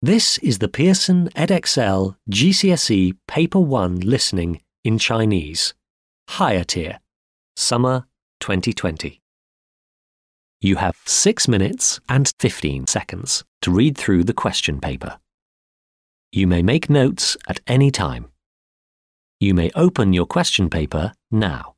This is the Pearson Edexcel GCSE Paper 1 Listening in Chinese, Higher Tier, Summer 2020. You have 6 minutes and 15 seconds to read through the question paper. You may make notes at any time. You may open your question paper now.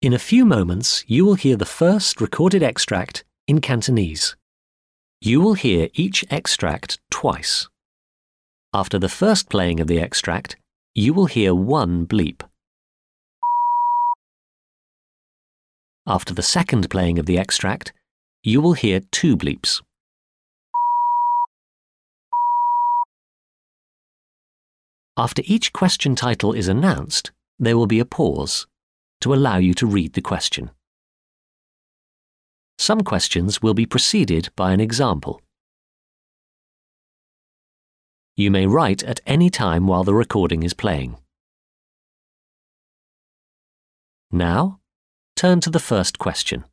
In a few moments, you will hear the first recorded extract in Cantonese. You will hear each extract twice. After the first playing of the extract, you will hear one bleep. After the second playing of the extract, you will hear two bleeps. After each question title is announced, there will be a pause to allow you to read the question. Some questions will be preceded by an example. You may write at any time while the recording is playing. Now, turn to the first question.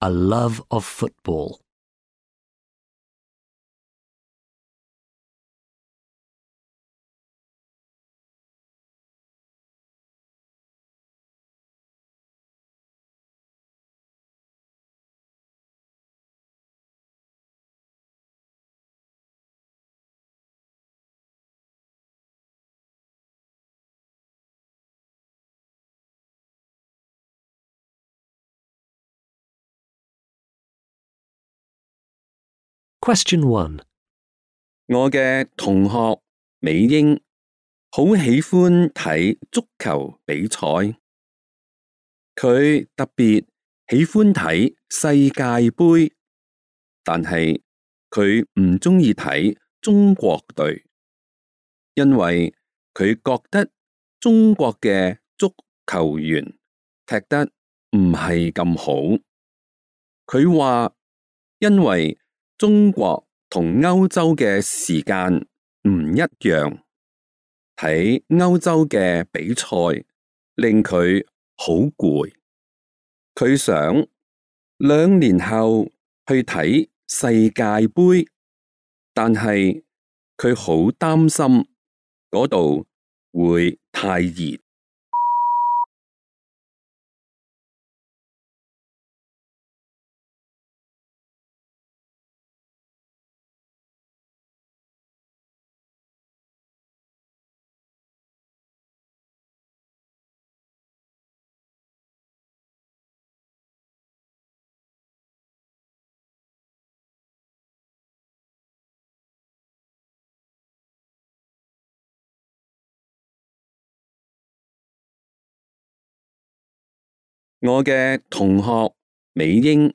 A love of football. Question 1. 我嘅同學美英好喜歡睇足球比賽，佢特別喜歡睇世界盃，但係佢唔鍾意睇中國隊，因為佢覺得中國嘅足球員踢得唔係咁好。佢話因為中國同歐洲嘅時間唔一樣，睇歐洲嘅比賽令佢好攰。佢想2年後去睇世界盃，但係佢好擔心嗰度會太熱。我嘅同學美英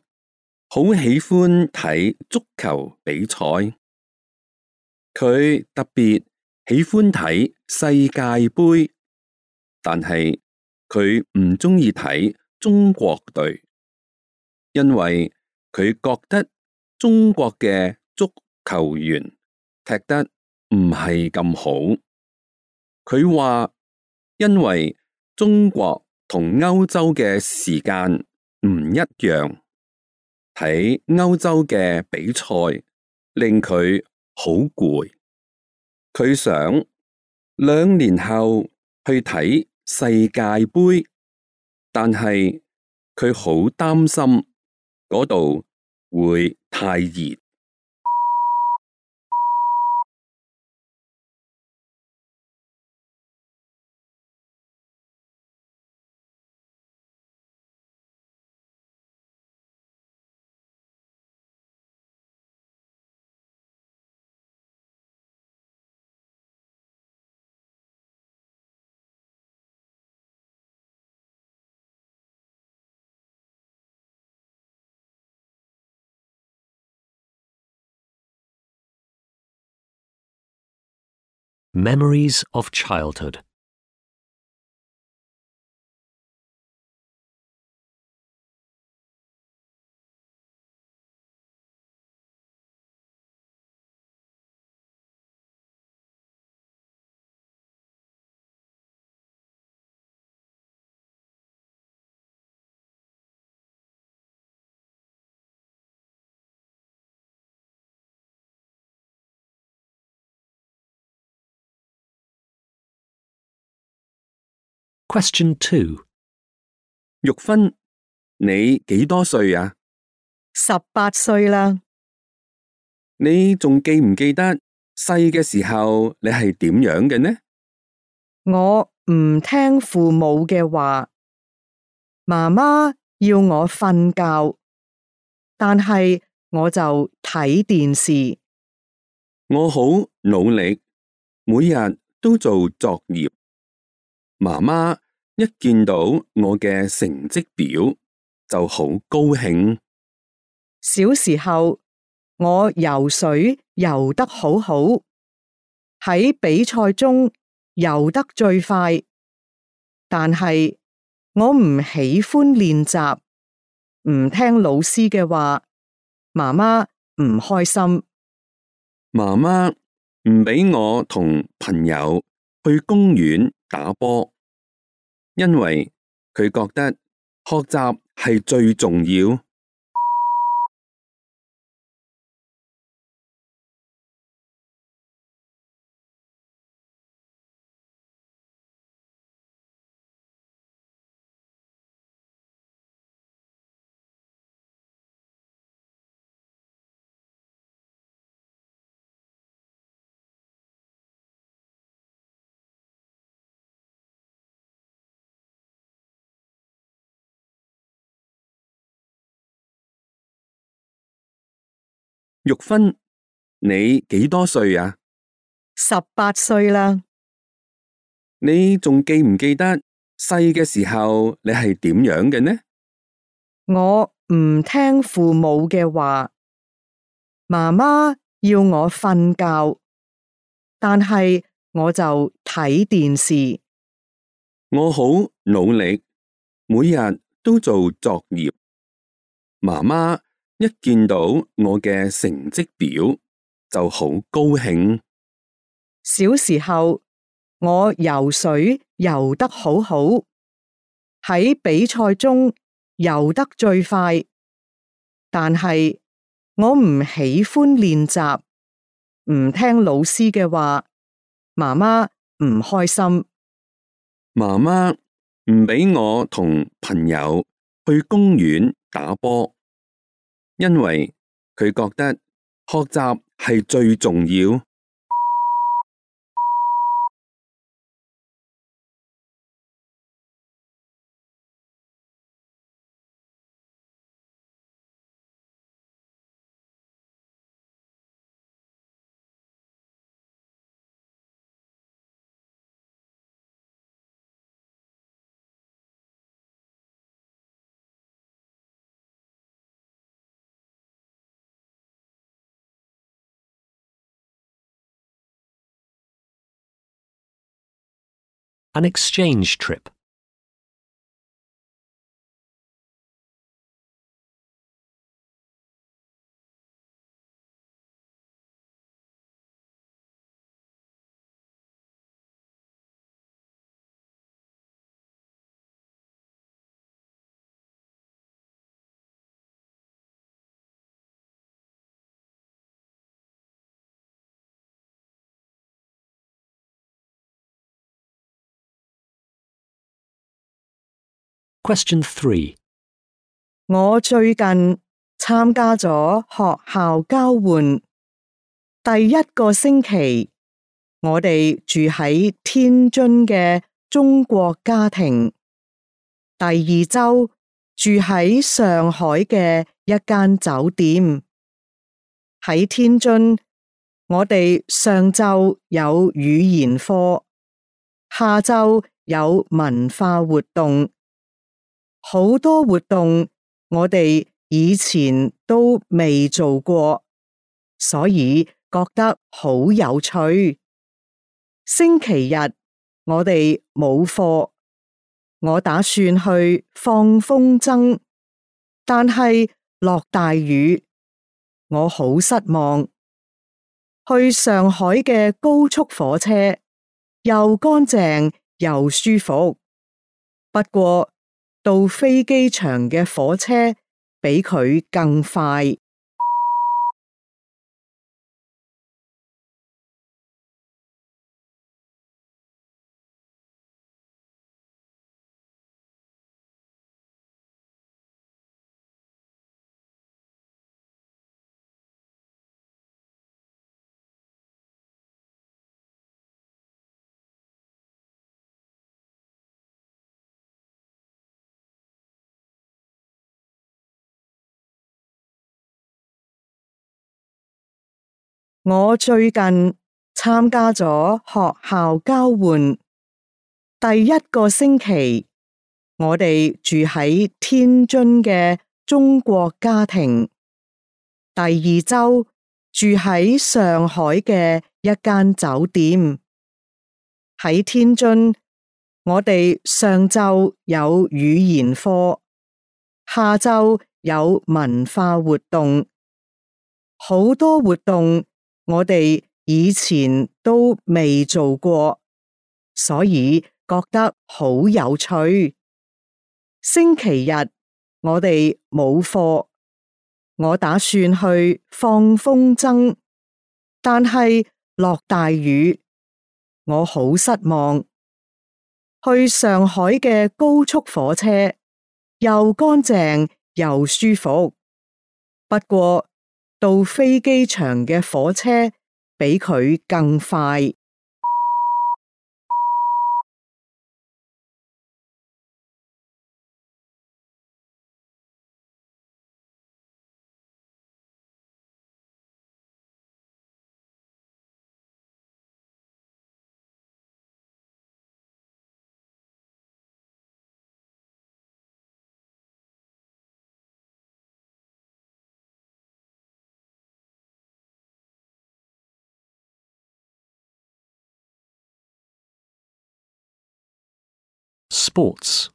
好喜歡睇足球比賽，佢特別喜歡睇世界盃，但係佢唔鍾意睇中國隊，因為佢覺得中國嘅足球員踢得唔係咁好。佢話因為中國同歐洲嘅時間唔一樣，睇歐洲嘅比賽令佢好攰。佢想2年後去睇世界盃，但係佢好擔心嗰度會太熱。Memories of childhood. Question 2. 玉芬，你幾多歲啊18歲啦，你仲記唔記得細嘅時候你係點樣嘅呢？我唔聽父母嘅話，媽媽要我瞓覺，但係我就睇電視。我好努力，每日都做作業。媽媽一見到我嘅成績表就好高興。小時候，我游水游得好好，喺比賽中游得最快，但係我唔喜歡練習，唔聽老師嘅話，媽媽唔開心。媽媽唔俾我同朋友去公園打波，因為佢覺得學習係最重要。玉芬，你幾多歲啊18歲啦，你仲記唔記得細嘅時候你係點樣嘅呢？我唔聽父母嘅話，媽媽要我瞓覺，但係我就睇電視。我好努力，每日都做作業。媽媽一見到我嘅成績表就好高興。小時候，我游水游得好好，喺比賽中游得最快，但係我唔喜歡練習，唔聽老師嘅話，媽媽唔開心。媽媽唔俾我同朋友去公園打波，因為佢覺得學習係最重要。An exchange trip. Question 3. 我最近參加咗學校交換，第一個星期，我哋住喺天津嘅中國家庭，第二周住喺上海嘅一間酒店。喺天津，我哋上晝有語言課，下晝有文化活動。好多活動我哋以前都未做過，所以覺得好有趣。星期日我哋冇課，我打算去放風箏，但係落大雨，我好失望。去上海嘅高速火車又乾淨又舒服，不過到飛機場嘅火車比佢更快。我最近參加咗學校交換，第一個星期，我哋住喺天津嘅中國家庭，第二周住喺上海嘅一間酒店。喺天津，我哋上晝有語言課，下晝有文化活動，好多活動我哋以前都未做過，所以覺得好有趣。星期日我哋冇課，我打算去放風箏，但係落大雨，我好失望。去上海嘅高速火車又乾淨又舒服，不過到飛機場嘅火車比佢更快。Sports.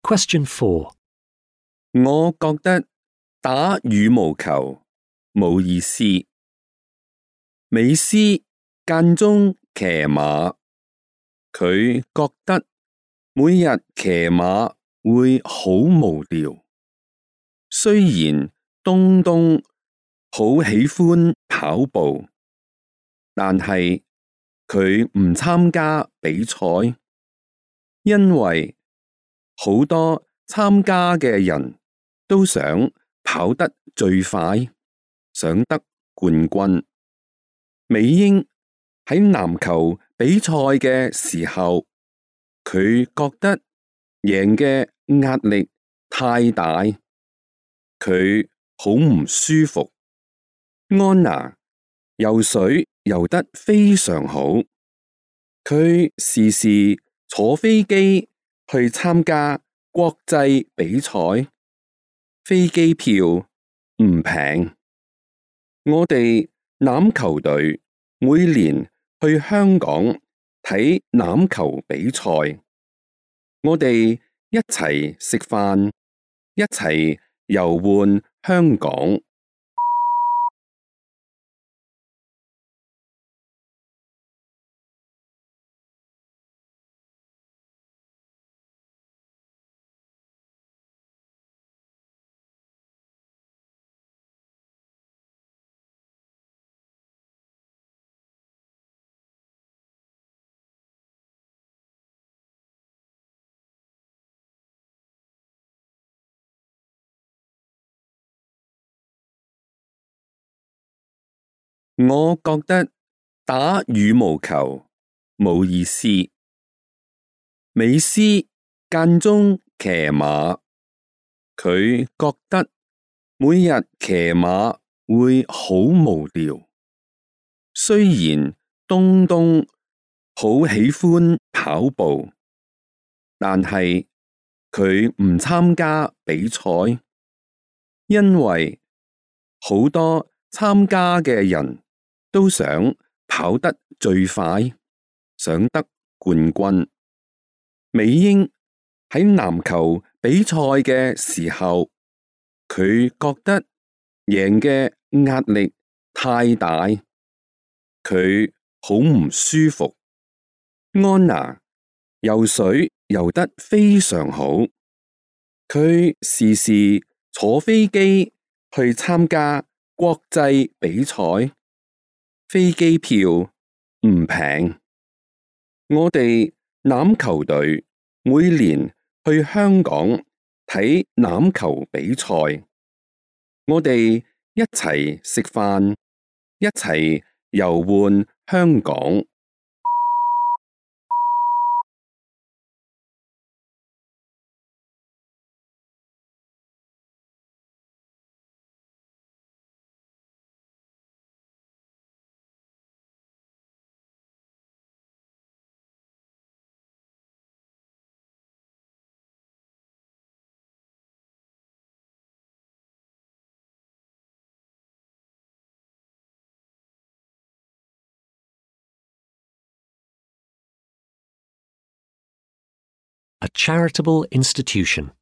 Question 4. 我覺得打羽毛球冇意思。美斯間中騎馬，佢覺得每日騎馬會好無聊。雖然東東好喜歡跑步，但係佢唔參加比賽，因為好多參加嘅人都想跑得最快，想得冠軍。美英喺籃球比賽嘅時候，佢覺得贏嘅壓力太大，佢好唔舒服。安娜游水游得非常好，佢時時坐飛機去參加國際比賽，飛機票唔平。我哋欖球隊每年去香港睇欖球比賽，我哋一齊食飯，一齊遊玩香港。我覺得打羽毛球冇意思。美斯間中騎馬，佢覺得每日騎馬會好無聊。雖然東東好喜歡跑步，但係佢唔參加比賽，因為好多參加嘅人都想跑得最快，想得冠軍。美英喺籃球比賽嘅時候，佢覺得贏嘅壓力太大，佢好唔舒服。安娜游水游得非常好，佢時時坐飛機去參加國際比賽，飛機票唔平。我哋欖球隊每年去香港睇欖球比賽，我哋一齊食飯，一齊遊玩香港。A charitable institution.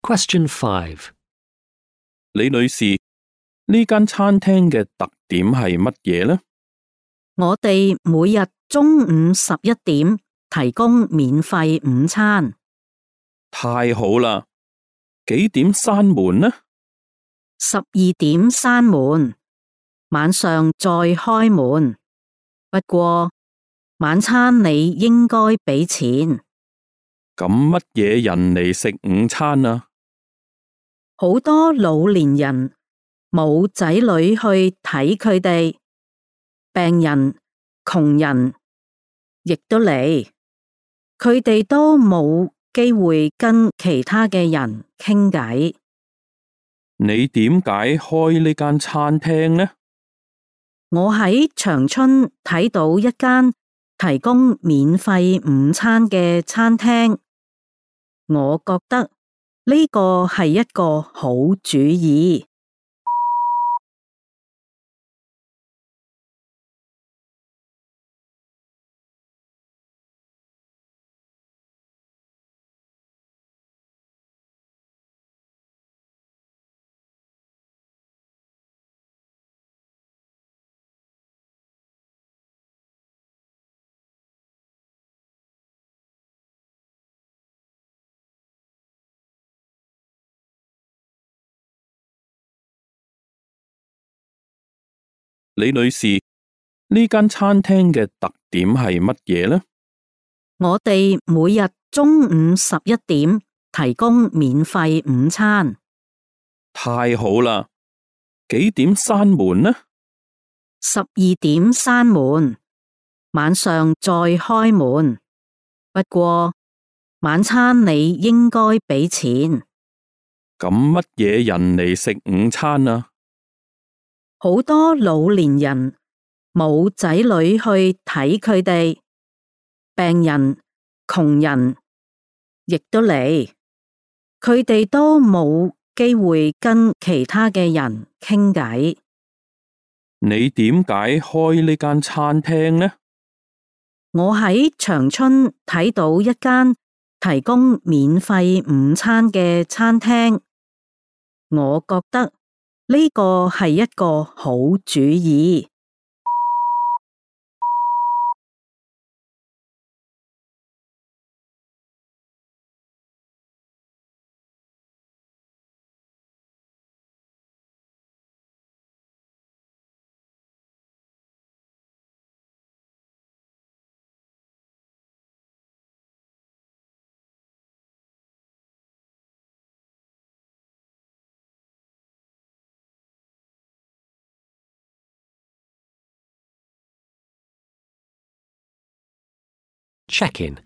Question 5. 李女士，呢間餐廳嘅特點係乜嘢呢？我哋每日中午11點提供免費午餐。太好啦！幾點閂門呢12點閂門，晚上再開門。不過晚餐你應該俾錢。咁乜嘢人嚟食午餐啊？好多老年人冇仔女去睇佢哋，病人、窮人亦都嚟，佢哋都冇機會跟其他嘅人傾偈。你點解開呢間餐廳呢？我喺長春睇到一間提供免費午餐嘅餐廳，我覺得呢個係一個好主意。李女士，呢間餐廳嘅特點係乜嘢呢？我哋每日中午11點提供免費午餐。太好啦！幾點閂門呢12點閂門，晚上再開門。不過晚餐你應該俾錢。咁乜嘢人嚟食午餐啊？好多老年人冇仔女去睇佢哋，病人、窮人亦都嚟，佢哋都冇機會跟其他嘅人傾偈。你點解開呢間餐廳呢？我喺長春睇到一間提供免費午餐嘅餐廳，我覺得呢個係一個好主意。Check-in.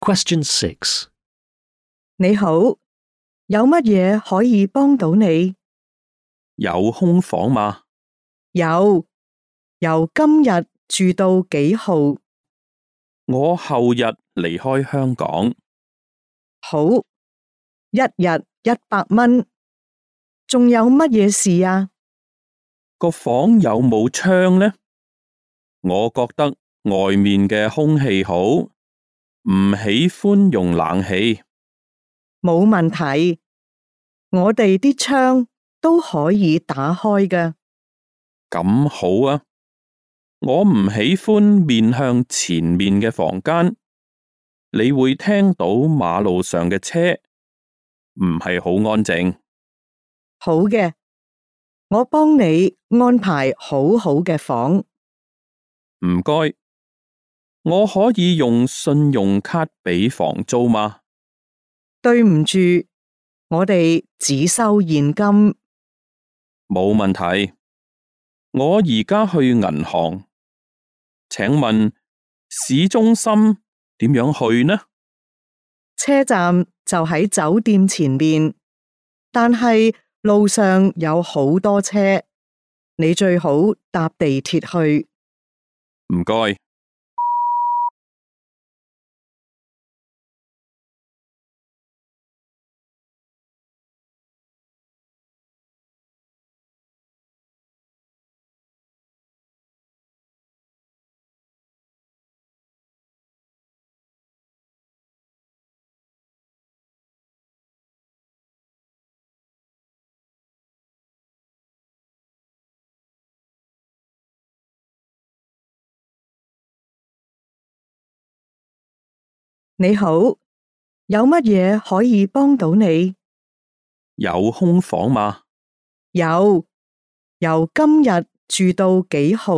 Question 6. 你好，有乜嘢可以幫到你？有空房嗎？有，由今日住到幾號？我後日離開香港。好，一日100蚊。仲有乜嘢事啊？個房有冇窗呢？我覺得外面嘅空氣好，唔喜歡用冷氣。冇問題，我哋啲窗都可以打開㗎。咁好啊！我唔喜歡面向前面嘅房間，你會聽到馬路上嘅車，唔係好安靜。好嘅，我幫你安排好好嘅房。唔該，我可以用信用卡俾房租嗎？對唔住，我哋只收現金。冇問題，我而家去銀行。請問市中心點樣去呢？車站就喺酒店前面，但係路上有好多車，你最好搭地鐵去。唔該。你好，有乜嘢可以幫到你？有空房嗎？有，由今日住到幾號？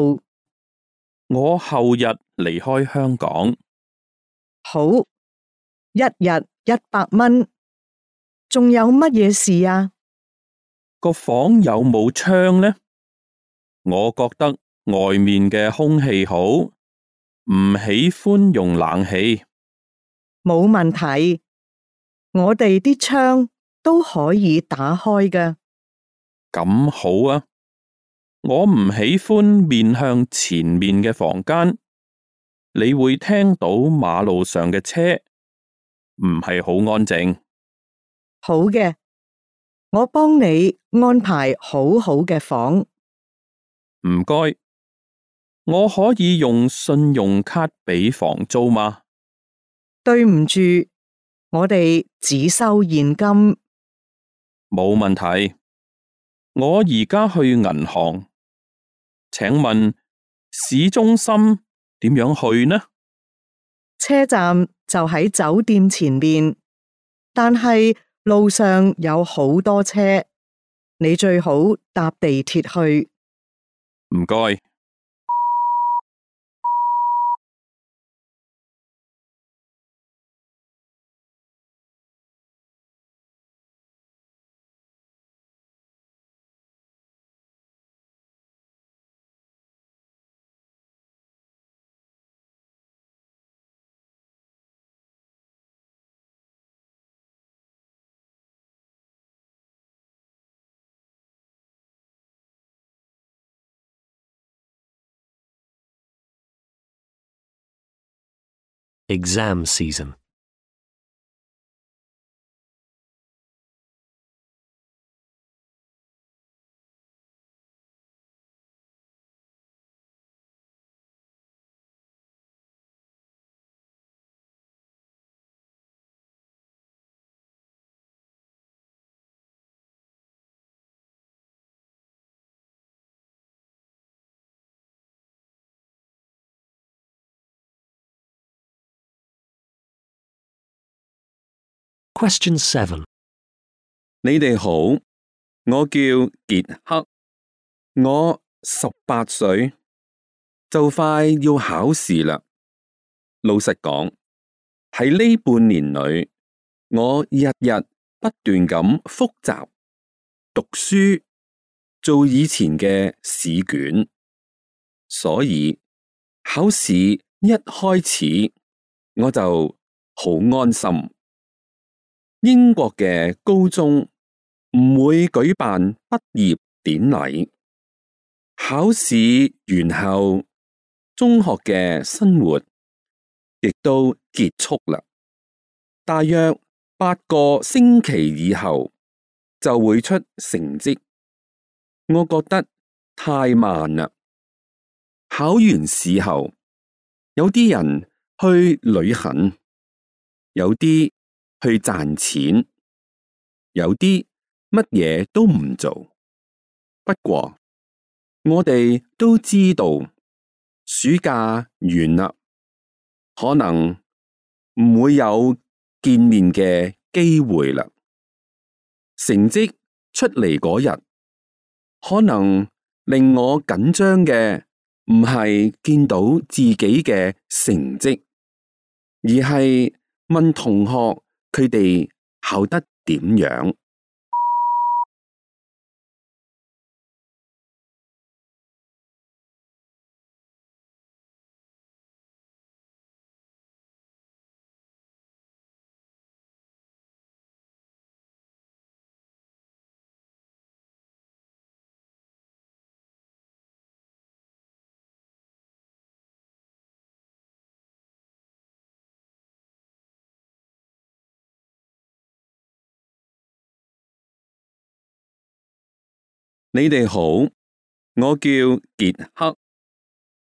我後日離開香港。好，一日100蚊。仲有乜嘢事啊？個房有冇窗呢？我覺得外面嘅空氣好，唔喜歡用冷氣。冇問題，我哋啲窗都可以打開㗎。咁好啊！我唔喜歡面向前面嘅房間，你會聽到馬路上嘅車，唔係好安靜。好嘅，我幫你安排好好嘅房。唔該，我可以用信用卡俾房租嗎？對唔住，我哋只收現金。冇問題，我而家去銀行。請問市中心點樣去呢？車站就喺酒店前面，但係路上有好多車，你最好搭地鐵去。唔該。Exam season. Question 7. 你哋好，我叫傑克，我18歲，就快要考試啦。老實講，喺呢半年裏，我日日不斷咁複習、讀書、做以前嘅試卷，所以考試一開始我就好安心。英國嘅高中唔會舉辦畢業典禮，考試完後，中學嘅生活亦都結束啦。大約8個星期以後就會出成績，我覺得太慢啦。考完試後，有啲人去旅行，有啲去賺錢，有啲乜嘢都唔做。不過我哋都知道暑假完啦，可能唔會有見面嘅機會啦。成績出嚟嗰日，可能令我緊張嘅唔係見到自己嘅成績，而係問同學佢哋考得點樣。你哋好，我叫傑克，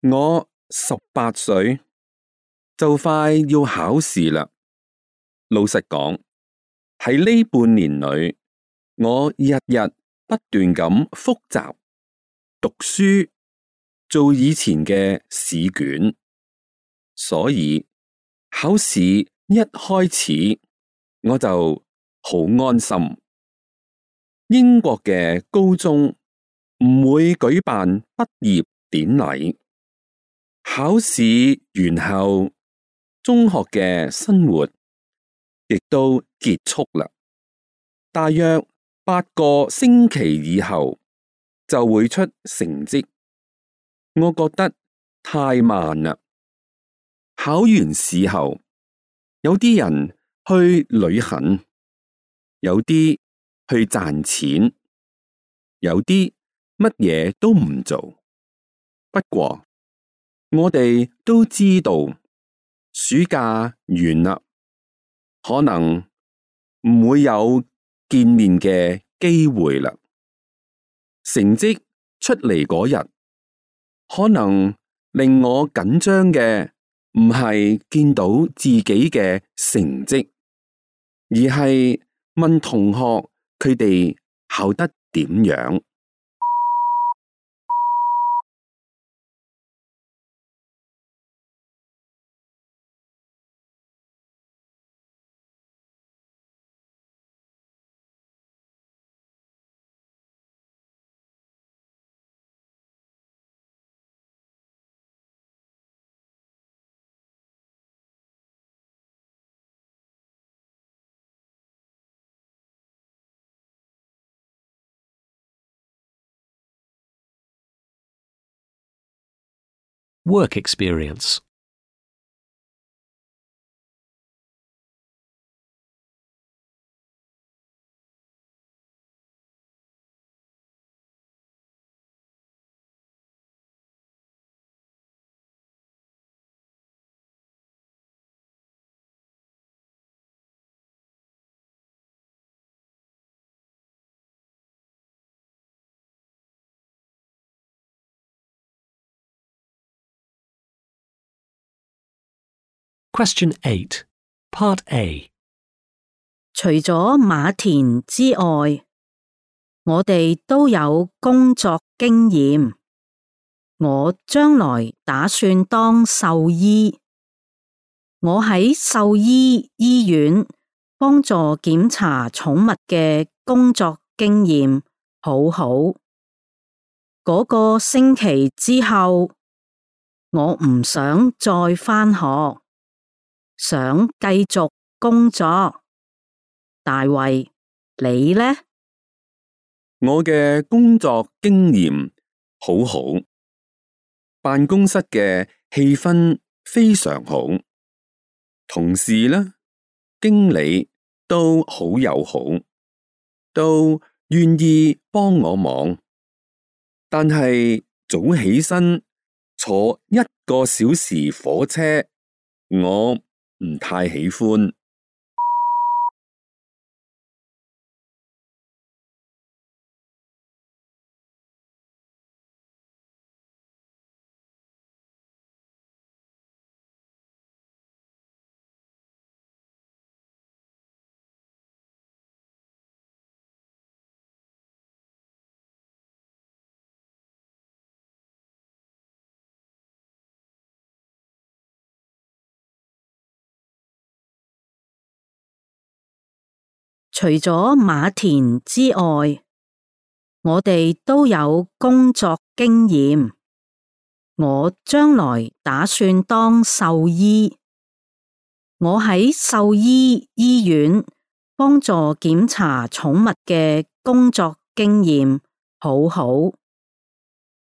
我18歲，就快要考試啦。老實講，喺呢半年裏，我日日不斷咁複習、讀書、做以前嘅試卷，所以考試一開始我就好安心。英國嘅高中唔會舉辦畢業典禮，考試完後，中學嘅生活亦都結束啦。大約8個星期以後就會出成績，我覺得太慢啦。考完試後，有啲人去旅行，有啲去賺錢，有啲乜嘢都唔做。不過我哋都知道暑假完啦，可能唔會有見面嘅機會啦。成績出嚟嗰日，可能令我緊張嘅唔係見到自己嘅成績，而係問同學佢哋考得點樣。Work experience. Question 8, Part A. 除咗馬田之外，我哋都有工作經驗。我將來打算當獸醫。我喺獸醫醫院幫助檢查寵物嘅工作經驗好好。嗰個星期之後，我唔想再返學，想繼續工作。大衛，你呢？我嘅工作經驗好好，辦公室嘅氣氛非常好，同事呢經理都好友好，都願意幫我忙。但係早起身坐1個小時火車，我唔太喜歡。除咗馬田之外，我哋都有工作經驗。我將來打算當獸醫。我喺獸醫醫院幫助檢查寵物嘅工作經驗好好。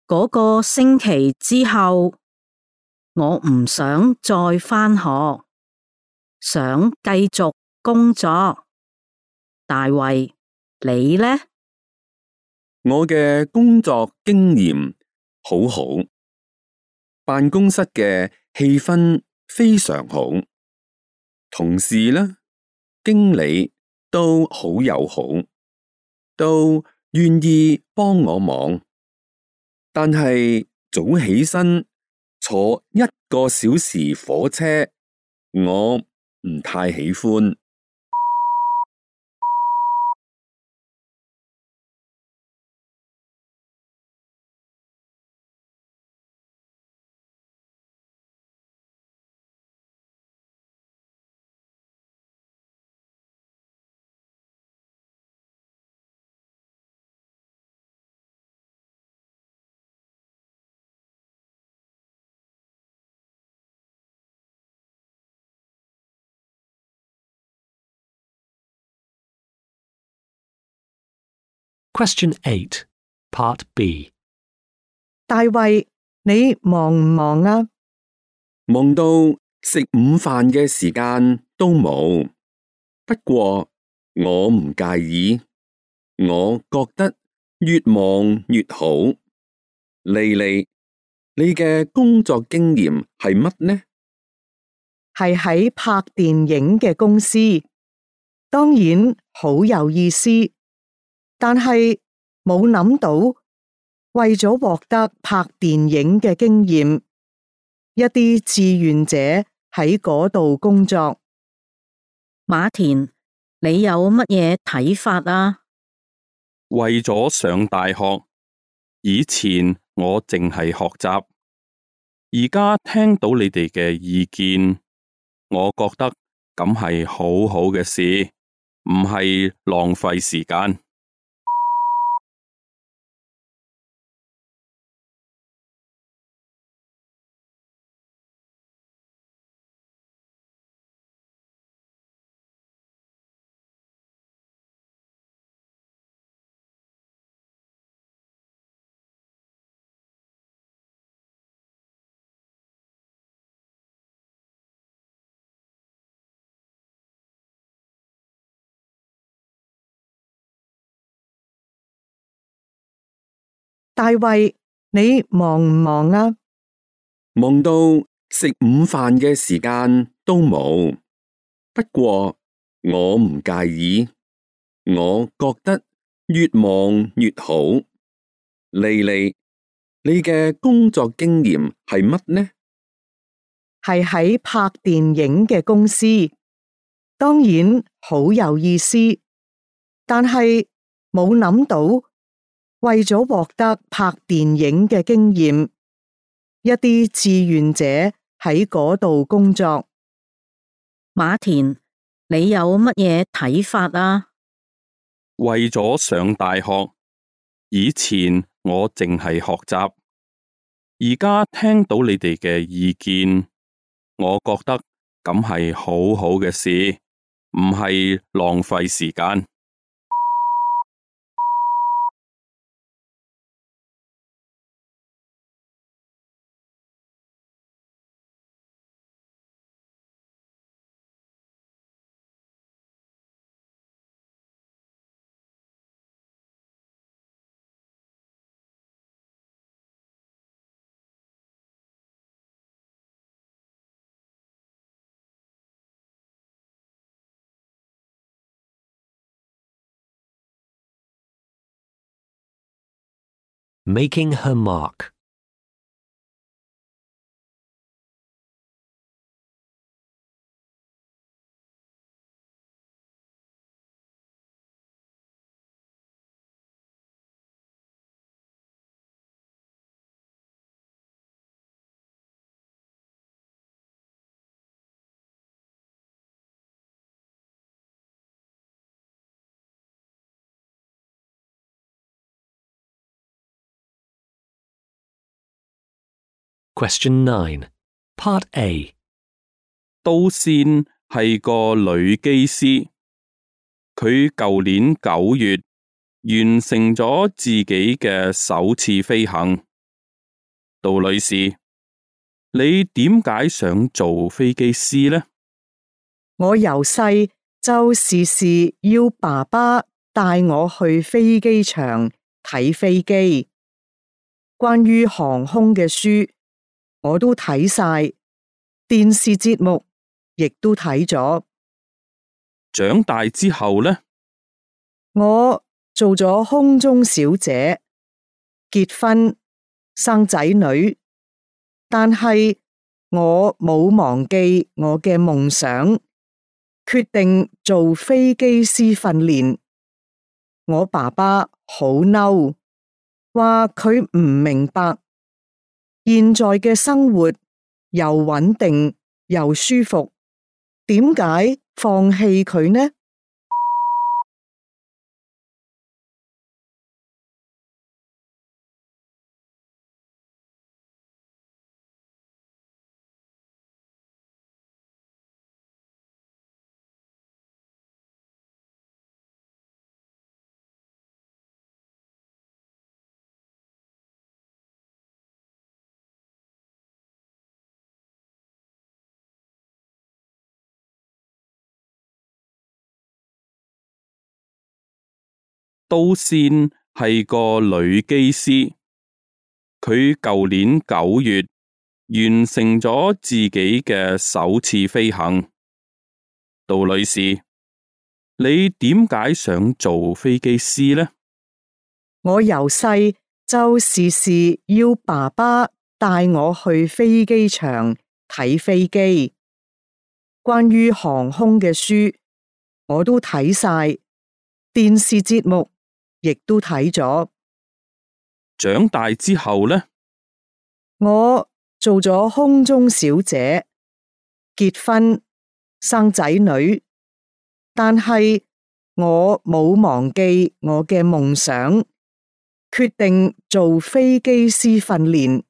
嗰個星期之後，我唔想再返學，想繼續工作。大衛，你呢？我嘅工作經驗好好，辦公室嘅氣氛非常好，同事呢，經理都好友好，都願意幫我忙。但係早起身坐1個小時火車，我唔太喜歡。Question 8, Part B. 大衛，你忙唔忙啊？忙到食午飯嘅時間都冇。不過我唔介意，我覺得越忙越好。莉莉，你嘅工作經驗係乜呢？係喺拍電影嘅公司，當然好有意思，但係冇諗到為咗獲得拍電影嘅經驗，一啲志願者喺嗰度工作。馬田，你有乜嘢睇法啊？為咗上大學，以前我淨係學習，而家聽到你哋嘅意見，我覺得咁係好好嘅事，唔係浪費時間。大衛，你忙唔忙啊？忙到食午飯嘅時間都冇。不過我唔介意，我覺得越忙越好。莉莉，你嘅工作經驗係乜呢？係喺拍電影嘅公司，當然好有意思，但係冇諗到為咗獲得拍電影嘅經驗，一啲志願者喺嗰度工作。馬田，你有乜嘢睇法啊？為咗上大學，以前我淨係學習，而家聽到你哋嘅意見，我覺得咁係好好嘅事，唔係浪費時間。Making her mark. Question 9. Part A. 都線係個女機師，佢舊年9月完成咗自己嘅首次飛行。杜女士，你點解想做飛機師呢？我由細就時時要爸爸帶我去飛機場睇飛機，關於航空嘅書我都睇晒，電視節目亦都睇咗。長大之後呢？我做咗空中小姐，結婚生仔女，但係我冇忘記我嘅夢想，決定做飛機師訓練。我爸爸好嬲，話佢唔明白現在嘅生活又穩定又舒服，點解放棄佢呢？都線係個女機師，佢舊年9月完成咗自己嘅首次飛行。杜女士，你點解想做飛機師呢？我由細就時時要爸爸帶我去飛機場睇飛機，關於航空嘅書我都睇晒，電視節目亦都睇咗。長大之後呢？我做咗空中小姐，結婚生仔女，但係我冇忘記我嘅夢想，決定做飛機師訓練。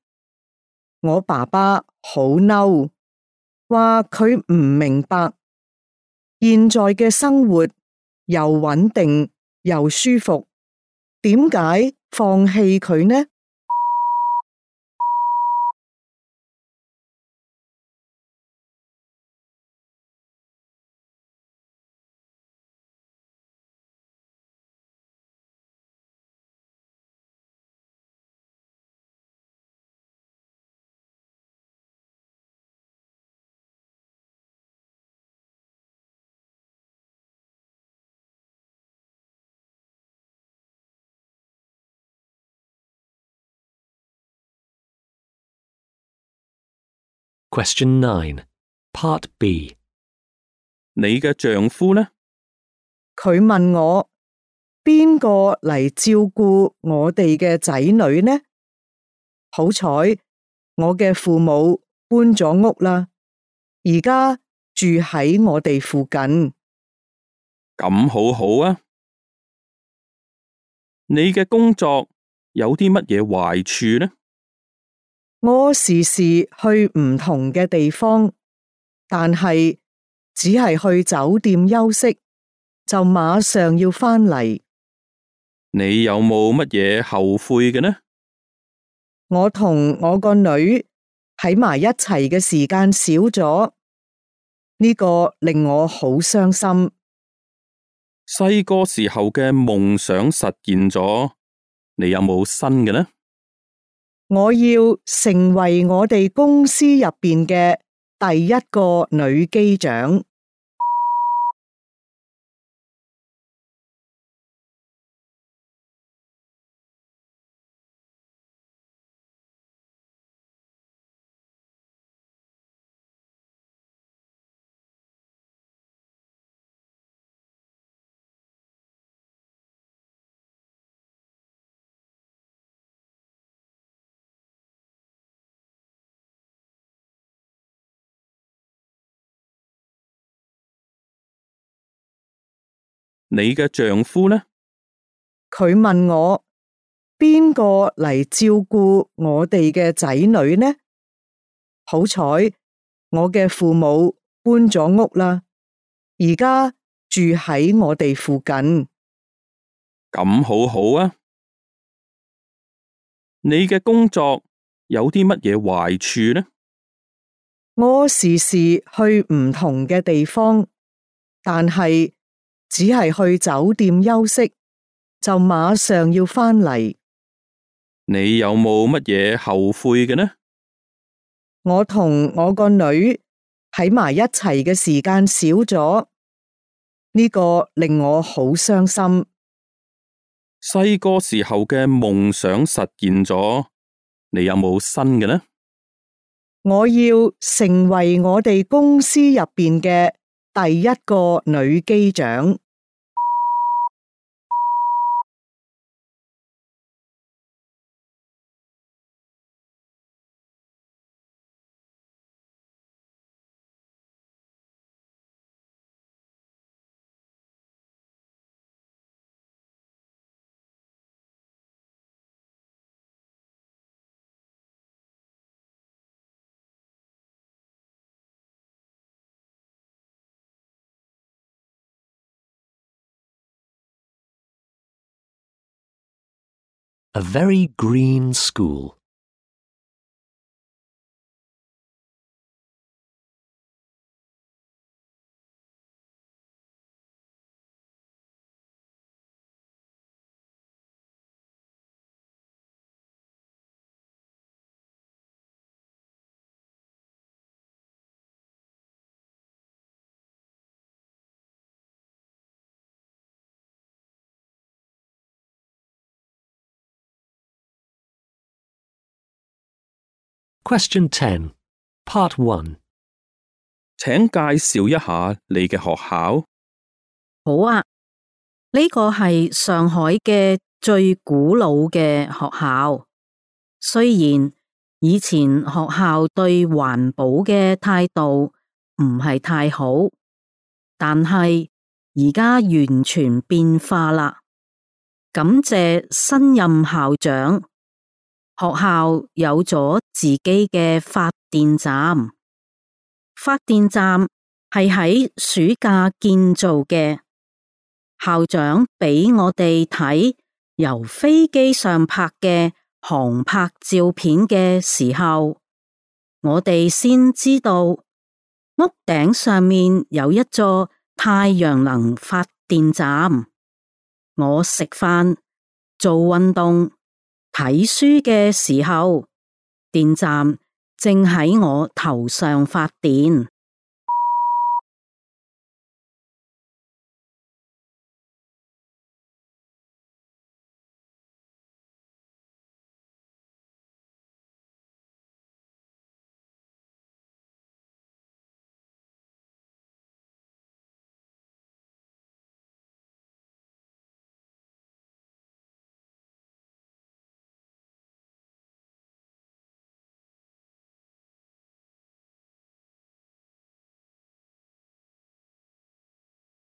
我爸爸好嬲，話佢唔明白現在嘅生活又穩定又舒服，點解放棄佢呢？Question 9. Part B. 你嘅丈夫呢？佢問我邊個嚟照顧我哋嘅仔女呢？好彩我嘅父母搬咗屋啦，而家住喺我哋附近。咁好好啊！你嘅工作有啲乜嘢壞處呢？我時時去唔同嘅地方，但係只係去酒店休息，就馬上要返嚟。你有冇乜嘢後悔嘅呢？我同我個女喺埋一齊嘅時間少咗，呢個令我好傷心。細個時候嘅夢想實現咗，你有冇新嘅呢？我要成為我哋公司入邊嘅第一個女機長。你嘅丈夫呢？佢問我邊個嚟照顧我哋嘅仔女呢？好彩我嘅父母搬咗屋啦，而家住喺我哋附近。咁好好啊！你嘅工作有啲乜嘢壞處呢？我時時去唔同嘅地方，但係只係去酒店休息，就馬上要返嚟。你有冇乜嘢後悔嘅呢？我同我個女喺埋一齊嘅時間少咗，呢個令我好傷心。細個時候嘅夢想實現咗，你有冇新嘅呢？我要成為我哋公司入邊嘅第一個女機長。A very green school. Question 10, Part 1. 請介紹一下你嘅學校。好啊，呢個係上海嘅最古老嘅學校。雖然以前學校對環保嘅態度唔係太好，但係而家完全變化啦。感謝新任校長，學校有咗自己嘅發電站。發電站係喺暑假建造嘅。校長俾我哋睇由飛機上拍嘅航拍照片嘅時候，我哋先知道屋頂上面有一座太陽能發電站。我食飯、做運動、睇書嘅時候，電站正喺我頭上發電。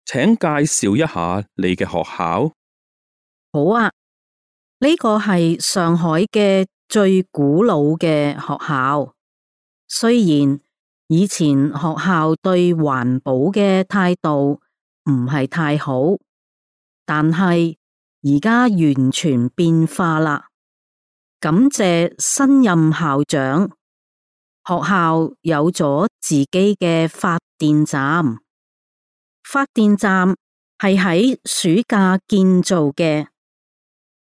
請介紹一下你嘅學校。好啊，呢個係上海嘅最古老嘅學校。雖然以前學校對環保嘅態度唔係太好，但係而家完全變化啦。感謝新任校長，學校有咗自己嘅發電站。發電站係喺暑假建造嘅。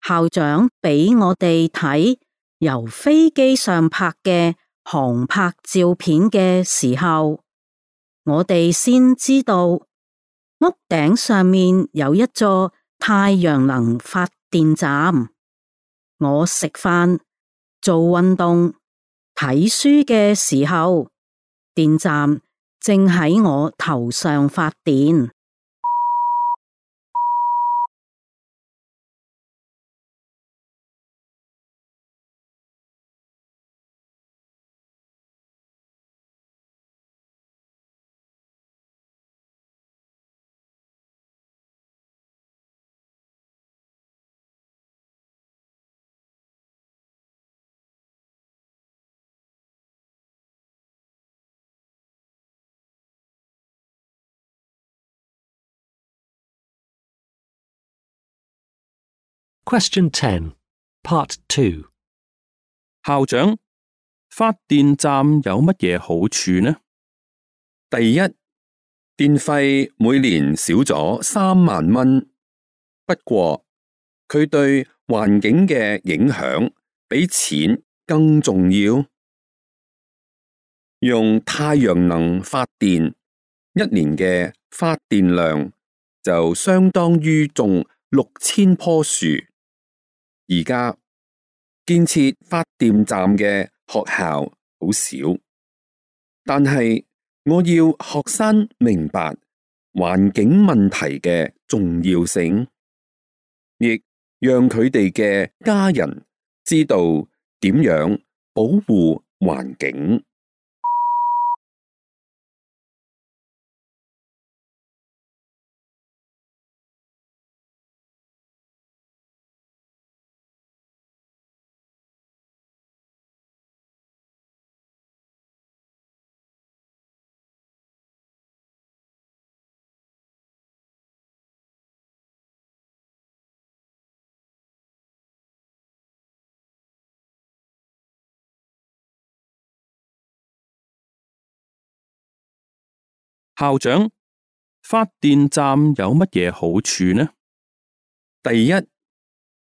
校長俾我哋睇由飛機上拍嘅航拍照片嘅時候，我哋先知道屋頂上面有一座太陽能發電站。我食飯、做運動、睇書嘅時候，電站正喺我頭上發電。Question 10, Part 2. 校長，發電站有乜嘢好處呢？第一，電費每年少咗3萬蚊，不過佢對環境嘅影響比錢更重要。用太陽能發電，一年嘅發電量就相當於種6000棵樹。而家建設發電站嘅學校好少，但係我要學生明白環境問題嘅重要性，亦讓佢哋嘅家人知道點樣保護環境。校長，發電站有乜嘢好處呢？第一，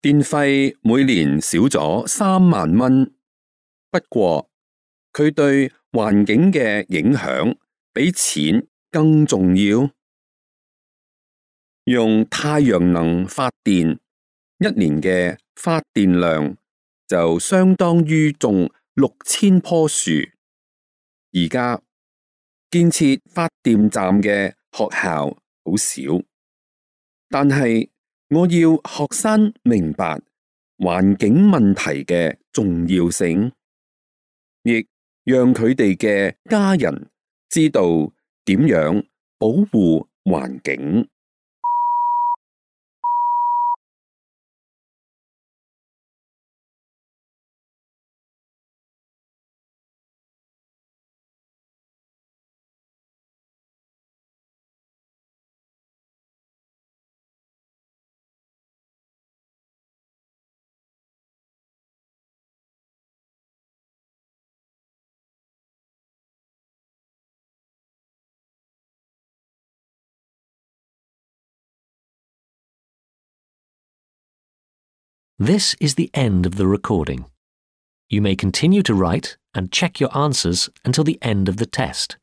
電費每年少咗3萬蚊，不過佢對環境嘅影響比錢更重要。用太陽能發電，一年嘅發電量就相當於種6000棵樹。而家建設發電站嘅學校好少，但係我要學生明白環境問題嘅重要性，亦讓佢哋嘅家人知道點樣保護環境。This is the end of the recording. You may continue to write and check your answers until the end of the test.